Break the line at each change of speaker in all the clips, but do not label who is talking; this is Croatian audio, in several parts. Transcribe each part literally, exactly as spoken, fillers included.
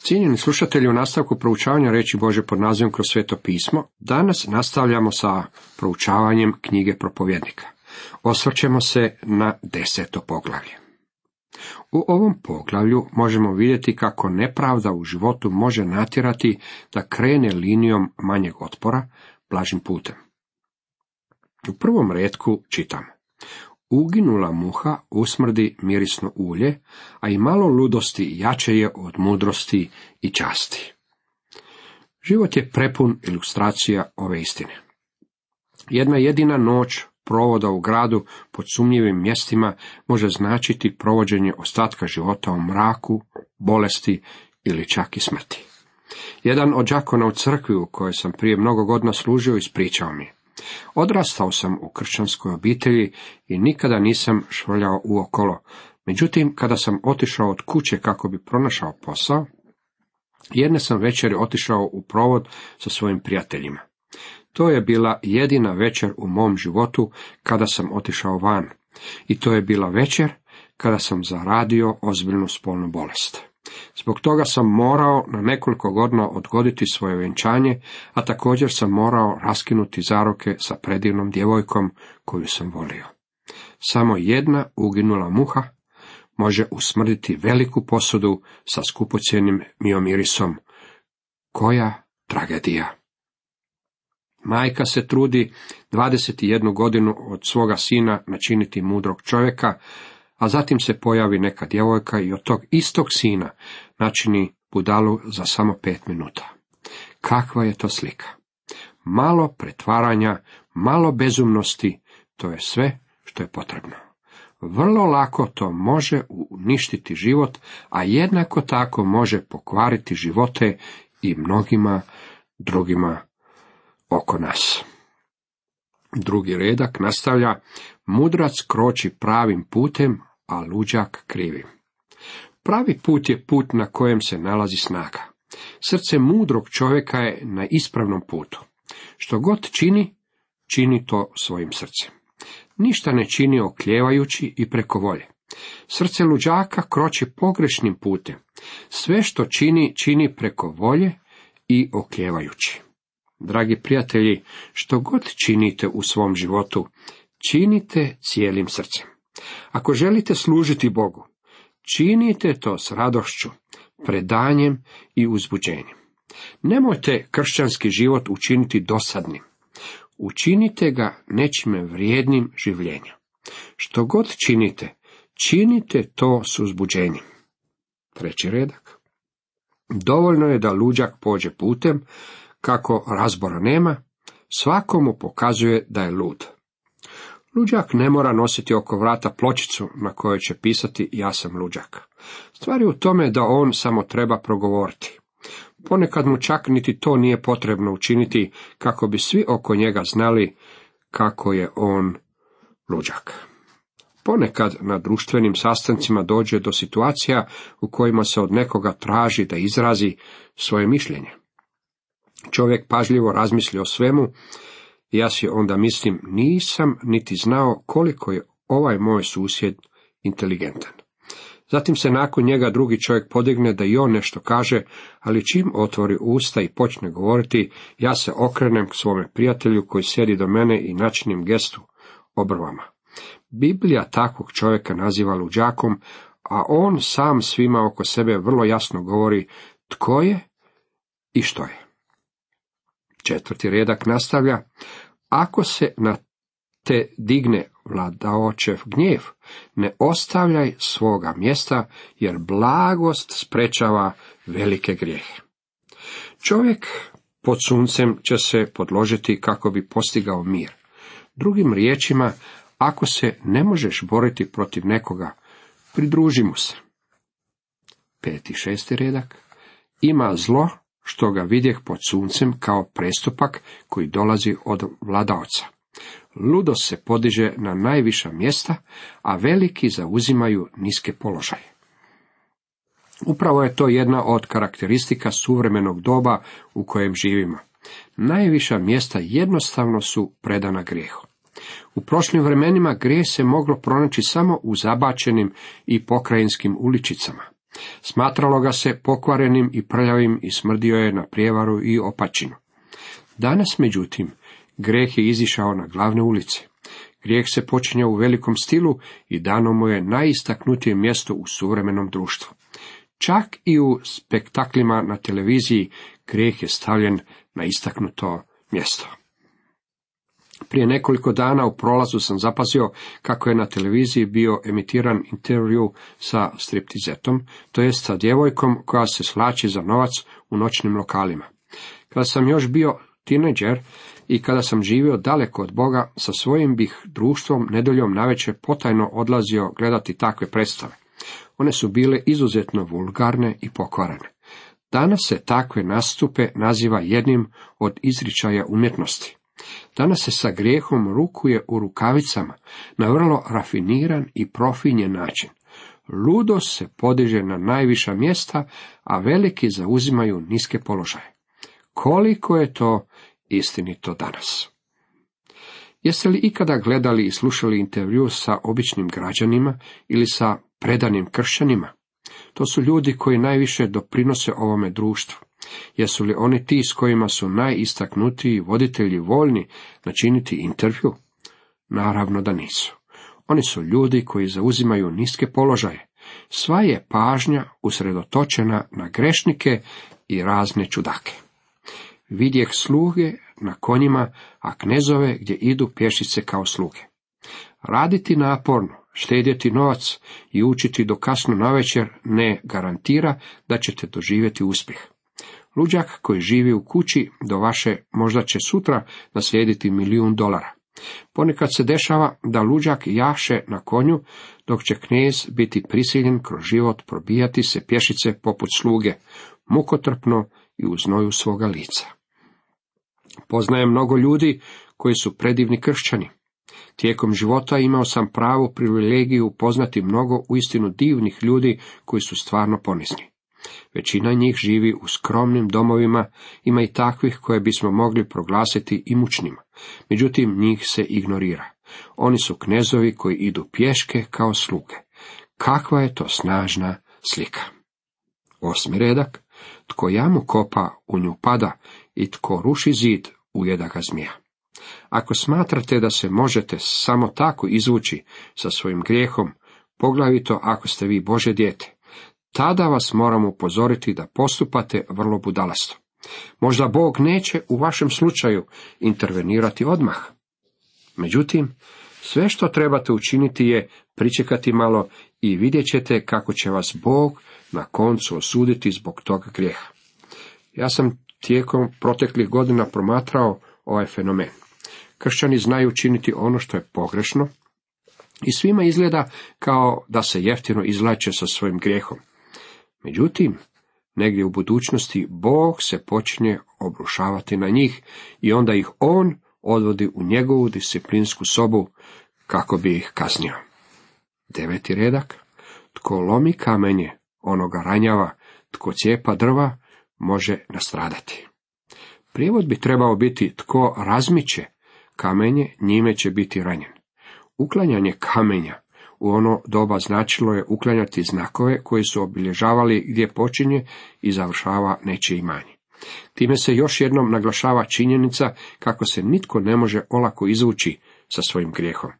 Cijenjeni slušatelji, u nastavku proučavanja riječi Božje pod nazivom Kroz sveto pismo, danas nastavljamo sa proučavanjem knjige Propovjednika. Osvrćemo se na deseto poglavlje. U ovom poglavlju možemo vidjeti kako nepravda u životu može natjerati da krene linijom manjeg otpora, blažim putem. U prvom retku čitamo: uginula muha usmrdi mirisno ulje, a i malo ludosti jače je od mudrosti i časti. Život je prepun ilustracija ove istine. Jedna jedina noć provoda u gradu pod sumnjivim mjestima može značiti provođenje ostatka života u mraku, bolesti ili čak i smrti. Jedan od đakona u crkvi u kojoj sam prije mnogo godina služio ispričao mi: odrastao sam u kršćanskoj obitelji i nikada nisam švrljao uokolo. Međutim, kada sam otišao od kuće kako bi pronašao posao, jedne sam večeri otišao u provod sa svojim prijateljima. To je bila jedina večer u mom životu kada sam otišao van. I to je bila večer kada sam zaradio ozbiljnu spolnu bolest. Zbog toga sam morao na nekoliko godina odgoditi svoje vjenčanje, a također sam morao raskinuti zaroke sa predivnom djevojkom koju sam volio. Samo jedna uginula muha može usmrditi veliku posudu sa skupocjenim miomirisom. Koja tragedija! Majka se trudi dvadeset jednu godinu od svoga sina načiniti mudrog čovjeka, a zatim se pojavi neka djevojka i od tog istog sina načini budalu za samo pet minuta. Kakva je to slika? Malo pretvaranja, malo bezumnosti, to je sve što je potrebno. Vrlo lako to može uništiti život, a jednako tako može pokvariti živote i mnogima drugima oko nas. Drugi redak nastavlja: mudrac kroči pravim putem, a luđak krivim. Pravi put je put na kojem se nalazi snaga. Srce mudrog čovjeka je na ispravnom putu. Što god čini, čini to svojim srcem. Ništa ne čini okljevajući i preko volje. Srce luđaka kroči pogrešnim putem. Sve što čini, čini preko volje i okljevajući. Dragi prijatelji, što god činite u svom životu, činite cijelim srcem. Ako želite služiti Bogu, činite to s radošću, predanjem i uzbuđenjem. Nemojte kršćanski život učiniti dosadnim. Učinite ga nečime vrijednim življenja. Što god činite, činite to s uzbuđenjem. Treći redak. Dovoljno je da luđak pođe putem, kako razbora nema, svakomu pokazuje da je lud. Luđak ne mora nositi oko vrata pločicu na kojoj će pisati ja sam luđak. Stvar je u tome da on samo treba progovoriti. Ponekad mu čak niti to nije potrebno učiniti kako bi svi oko njega znali kako je on luđak. Ponekad na društvenim sastancima dođe do situacija u kojima se od nekoga traži da izrazi svoje mišljenje. Čovjek pažljivo razmisli o svemu, i ja si onda mislim, nisam niti znao koliko je ovaj moj susjed inteligentan. Zatim se nakon njega drugi čovjek podigne da i on nešto kaže, ali čim otvori usta i počne govoriti, ja se okrenem k svome prijatelju koji sjedi do mene i načinim gestu obrvama. Biblija takvog čovjeka naziva luđakom, a on sam svima oko sebe vrlo jasno govori tko je i što je. Četvrti redak nastavlja: ako se na te digne vladaočev gnjev, ne ostavljaj svoga mjesta, jer blagost sprečava velike grijehe. Čovjek pod suncem će se podložiti kako bi postigao mir. Drugim riječima, ako se ne možeš boriti protiv nekoga, pridruži mu se. Peti, šesti redak. Ima zlo što ga vidjeh pod suncem kao prestupak koji dolazi od vladaoca. Ludost se podiže na najviša mjesta, a veliki zauzimaju niske položaje. Upravo je to jedna od karakteristika suvremenog doba u kojem živimo. Najviša mjesta jednostavno su predana grijehu. U prošlim vremenima grijeh se moglo pronaći samo u zabačenim i pokrajinskim uličicama. Smatralo ga se pokvarenim i prljavim i smrdio je na prijevaru i opačinu. Danas, međutim, grijeh je izišao na glavne ulice. Grijeh se počinje u velikom stilu i dano mu je najistaknutije mjesto u suvremenom društvu. Čak i u spektaklima na televiziji grijeh je stavljen na istaknuto mjesto. Prije nekoliko dana u prolazu sam zapazio kako je na televiziji bio emitiran intervju sa striptizetom, to jest sa djevojkom koja se slači za novac u noćnim lokalima. Kada sam još bio tineđer i kada sam živio daleko od Boga, sa svojim bih društvom nedeljom navečer potajno odlazio gledati takve predstave. One su bile izuzetno vulgarne i pokvarene. Danas se takve nastupe naziva jednim od izričaja umjetnosti. Danas se sa grijehom rukuje u rukavicama na vrlo rafiniran i profinjen način. Ludost se podiže na najviša mjesta, a veliki zauzimaju niske položaje. Koliko je to istinito danas? Jeste li ikada gledali i slušali intervju sa običnim građanima ili sa predanim kršćanima? To su ljudi koji najviše doprinose ovome društvu. Jesu li oni ti s kojima su najistaknutiji voditelji voljni načiniti intervju? Naravno da nisu. Oni su ljudi koji zauzimaju niske položaje. Sva je pažnja usredotočena na grešnike i razne čudake. Vidjeh sluge na konjima, a knezove gdje idu pješice kao sluge. Raditi naporno, štedjeti novac i učiti do kasno navečer ne garantira da ćete doživjeti uspjeh. Luđak koji živi u kući do vaše možda će sutra naslijediti milijun dolara. Ponekad se dešava da luđak jaše na konju, dok će knez biti prisiljen kroz život probijati se pješice poput sluge, mukotrpno i u znoju svoga lica. Poznajem mnogo ljudi koji su predivni kršćani. Tijekom života imao sam pravu privilegiju upoznati mnogo uistinu divnih ljudi koji su stvarno ponizni. Većina njih živi u skromnim domovima, ima i takvih koje bismo mogli proglasiti imućnima. Međutim, njih se ignorira. Oni su knezovi koji idu pješke kao sluge. Kakva je to snažna slika. Osmi redak. Tko jamu kopa, u nju pada, i tko ruši zid, ujeda ga zmija. Ako smatrate da se možete samo tako izvući sa svojim grijehom, poglavito ako ste vi Božje dijete, tada vas moram upozoriti da postupate vrlo budalasto. Možda Bog neće u vašem slučaju intervenirati odmah. Međutim, sve što trebate učiniti je pričekati malo i vidjet ćete kako će vas Bog na koncu osuditi zbog toga grijeha. Ja sam tijekom proteklih godina promatrao ovaj fenomen. Kršćani znaju činiti ono što je pogrešno i svima izgleda kao da se jeftino izvlače sa svojim grijehom. Međutim, negdje u budućnosti Bog se počinje obrušavati na njih i onda ih On odvodi u njegovu disciplinsku sobu kako bi ih kaznio. Deveti redak. Tko lomi kamenje, onoga ranjava, tko cijepa drva, može nastradati. Prijevod bi trebao biti tko razmiče kamenje, njime će biti ranjen. Uklanjanje kamenja u ono doba značilo je uklanjati znakove koji su obilježavali gdje počinje i završava nečije imanje. Time se još jednom naglašava činjenica kako se nitko ne može olako izvući sa svojim grijehom.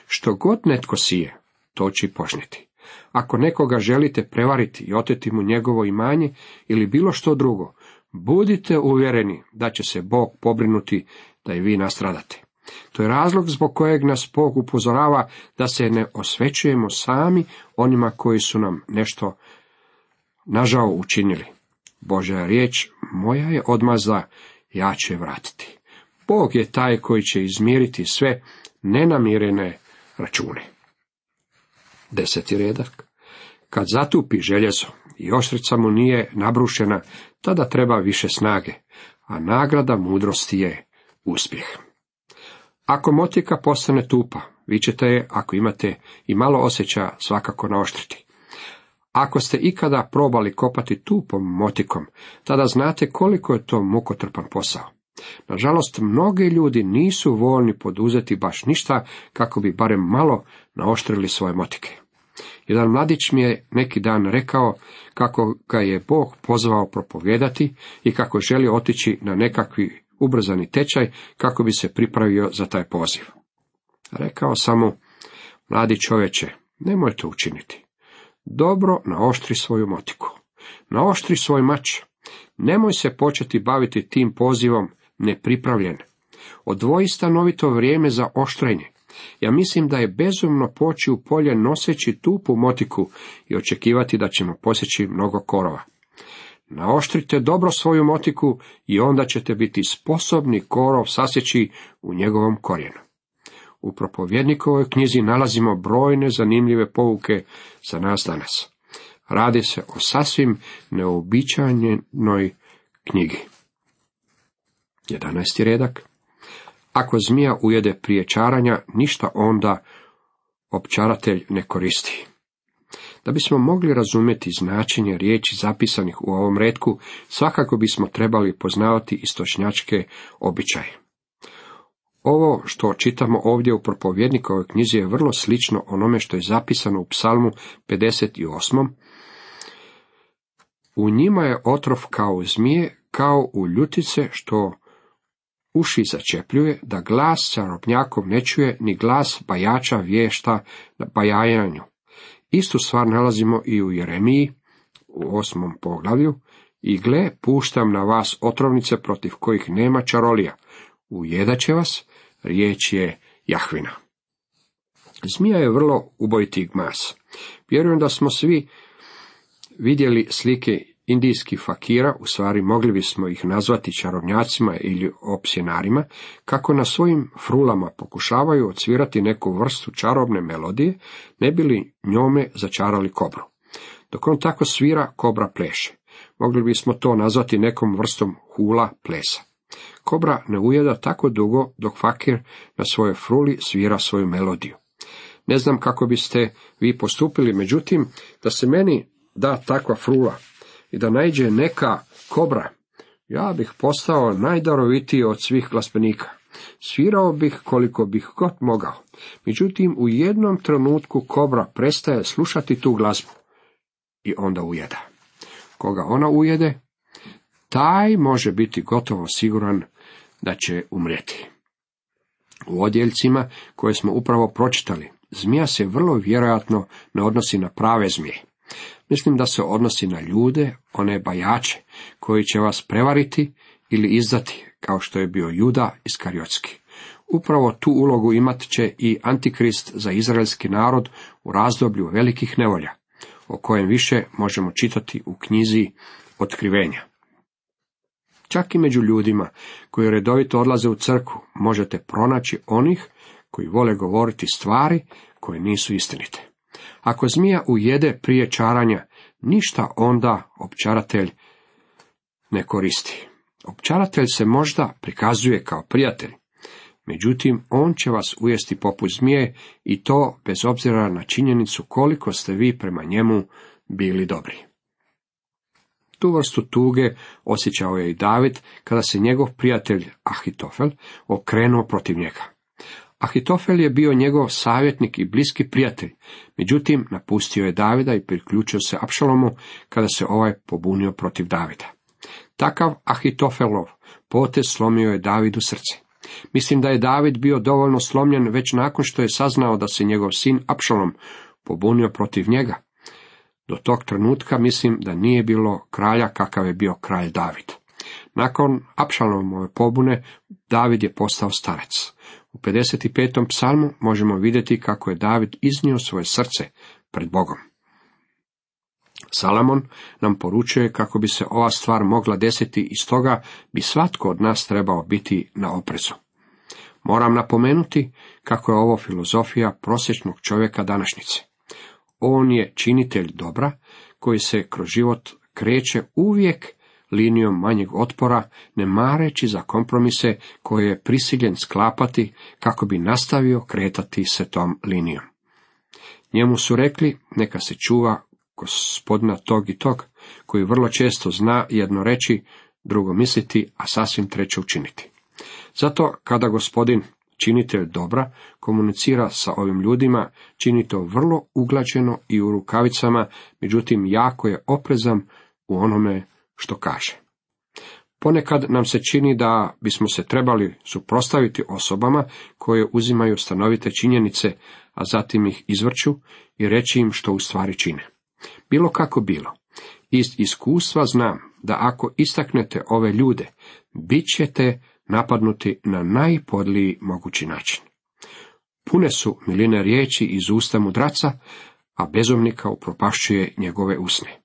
Što god netko sije, to će požniti. Ako nekoga želite prevariti i oteti mu njegovo imanje ili bilo što drugo, budite uvjereni da će se Bog pobrinuti da i vi nastradate. To je razlog zbog kojeg nas Bog upozorava da se ne osvećujemo sami onima koji su nam nešto nažao učinili. Božja riječ, moja je odmazda, ja ću je vratiti. Bog je taj koji će izmiriti sve nenamirene račune. Deseti redak. Kad zatupi željezo i oštrica mu nije nabrušena, tada treba više snage, a nagrada mudrosti je uspjeh. Ako motika postane tupa, vi ćete je, ako imate i malo osjećaja, svakako naoštriti. Ako ste ikada probali kopati tupom motikom, tada znate koliko je to mukotrpan posao. Nažalost, mnogi ljudi nisu voljni poduzeti baš ništa kako bi barem malo naoštrili svoje motike. Jedan mladić mi je neki dan rekao kako ga je Bog pozvao propovijedati i kako želi otići na nekakvi ubrzani tečaj kako bi se pripravio za taj poziv. Rekao sam mu, mladi čovječe, nemoj to učiniti. Dobro naoštri svoju motiku, naoštri svoj mač. Nemoj se početi baviti tim pozivom nepripravljen. Odvoji stanovito vrijeme za oštrenje. Ja mislim da je bezumno poći u polje noseći tupu motiku i očekivati da ćemo posjeći mnogo korova. Naoštrite dobro svoju motiku i onda ćete biti sposobni korov sasjeći u njegovom korijenu. U propovjednikovoj knjizi nalazimo brojne zanimljive pouke za nas danas. Radi se o sasvim neobičajenoj knjigi. jedanaesti redak. Ako zmija ujede prije čaranja, ništa onda opčaratelj ne koristi. Da bismo mogli razumjeti značenje riječi zapisanih u ovom retku, svakako bismo trebali poznavati istočnjačke običaje. Ovo što čitamo ovdje u propovjednikovoj knjizi je vrlo slično onome što je zapisano u Psalmu pedeset osam. U njima je otrov kao zmije, kao u ljutice što uši začepljuje, da glas čarobnjakov ne čuje, ni glas bajača vješta na bajajanju. Istu stvar nalazimo i u Jeremiji, u osmom poglavlju, i gle, puštam na vas otrovnice protiv kojih nema čarolija. Ujedat će vas, riječ je Jahvina. Zmija je vrlo ubojiti gmas. Vjerujem da smo svi vidjeli slike indijskih fakira, u stvari mogli bismo ih nazvati čarobnjacima ili opsjenarima, kako na svojim frulama pokušavaju odsvirati neku vrstu čarobne melodije, ne bi li njome začarali kobru. Dok on tako svira, kobra pleše. Mogli bismo to nazvati nekom vrstom hula plesa. Kobra ne ujeda tako dugo dok fakir na svojoj fruli svira svoju melodiju. Ne znam kako biste vi postupili, međutim, da se meni da takva frula i da naiđe neka kobra, ja bih postao najdarovitiji od svih glazbenika. Svirao bih koliko bih god mogao. Međutim, u jednom trenutku kobra prestaje slušati tu glazbu i onda ujeda. Koga ona ujede, taj može biti gotovo siguran da će umrijeti. U odjeljcima koje smo upravo pročitali, zmija se vrlo vjerojatno ne odnosi na prave zmije. Mislim da se odnosi na ljude, one bajače, koji će vas prevariti ili izdati, kao što je bio Juda Iskariotski. Upravo tu ulogu imat će i Antikrist za izraelski narod u razdoblju velikih nevolja, o kojem više možemo čitati u knjizi Otkrivenja. Čak i među ljudima koji redovito odlaze u crkvu možete pronaći onih koji vole govoriti stvari koje nisu istinite. Ako zmija ujede prije čaranja, ništa onda opčaratelj ne koristi. Opčaratelj se možda prikazuje kao prijatelj, međutim on će vas ujesti poput zmije i to bez obzira na činjenicu koliko ste vi prema njemu bili dobri. Tu vrstu tuge osjećao je i David kada se njegov prijatelj Ahitofel okrenuo protiv njega. Ahitofel je bio njegov savjetnik i bliski prijatelj, međutim napustio je Davida i priključio se Apšalomu kada se ovaj pobunio protiv Davida. Takav Ahitofelov potez slomio je Davidu srce. Mislim da je David bio dovoljno slomljen već nakon što je saznao da se njegov sin Apšalom pobunio protiv njega. Do tog trenutka mislim da nije bilo kralja kakav je bio kralj David. Nakon Apšalomove pobune David je postao starac. U pedeset petom psalmu možemo vidjeti kako je David iznio svoje srce pred Bogom. Salamon nam poručuje kako bi se ova stvar mogla desiti i stoga bi svatko od nas trebao biti na oprezu. Moram napomenuti kako je ovo filozofija prosječnog čovjeka današnjice. On je činitelj dobra koji se kroz život kreće uvijek linijom manjeg otpora, ne mareći za kompromise koje je prisiljen sklapati kako bi nastavio kretati se tom linijom. Njemu su rekli neka se čuva gospodina tog i tog, koji vrlo često zna jedno reći, drugo misliti, a sasvim treće učiniti. Zato kada gospodin Činitelj dobra komunicira sa ovim ljudima, čini to vrlo uglađeno i u rukavicama, međutim jako je oprezan u onome što kaže. Ponekad nam se čini da bismo se trebali suprotstaviti osobama koje uzimaju stanovite činjenice, a zatim ih izvrću i reći im što u stvari čine. Bilo kako bilo, iz iskustva znam da ako istaknete ove ljude, bit ćete napadnuti na najpodliji mogući način. Pune su miline riječi iz usta mudraca, a bezumnika upropašćuje njegove usne.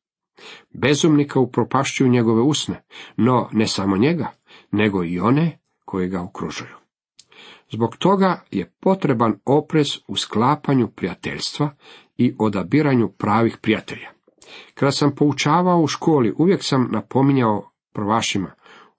Bezumnika upropašćuju njegove usne, no ne samo njega, nego i one koji ga okružuju. Zbog toga je potreban oprez u sklapanju prijateljstva i odabiranju pravih prijatelja. Kada sam poučavao u školi, uvijek sam napominjao prvašima,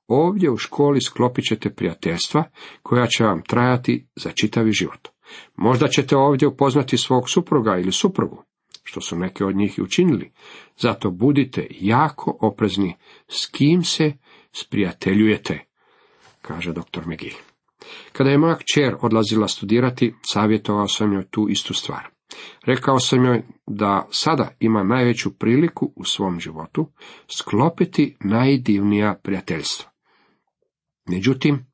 ovdje u školi sklopit ćete prijateljstva koja će vam trajati za čitavi život. Možda ćete ovdje upoznati svog supruga ili suprugu, što su neke od njih i učinili. Zato budite jako oprezni s kim se sprijateljujete, kaže doktor McGee. Kada je moja kćer odlazila studirati, savjetovao sam joj tu istu stvar. Rekao sam joj da sada ima najveću priliku u svom životu sklopiti najdivnija prijateljstva. Međutim,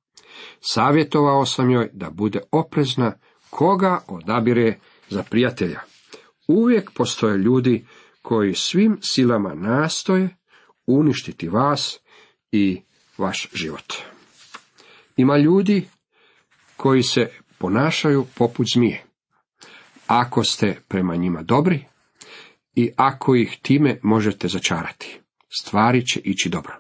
savjetovao sam joj da bude oprezna koga odabire za prijatelja. Uvijek postoje ljudi koji svim silama nastoje uništiti vas i vaš život. Ima ljudi koji se ponašaju poput zmije. Ako ste prema njima dobri i ako ih time možete začarati, stvari će ići dobro.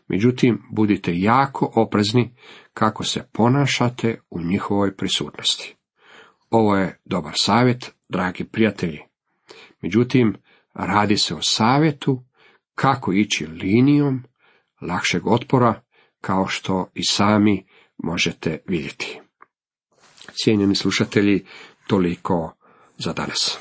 Međutim, budite jako oprezni kako se ponašate u njihovoj prisutnosti. Ovo je dobar savjet, dragi prijatelji. Međutim, radi se o savjetu kako ići linijom lakšeg otpora, kao što i sami možete vidjeti. Cijenjeni slušatelji, toliko za danas.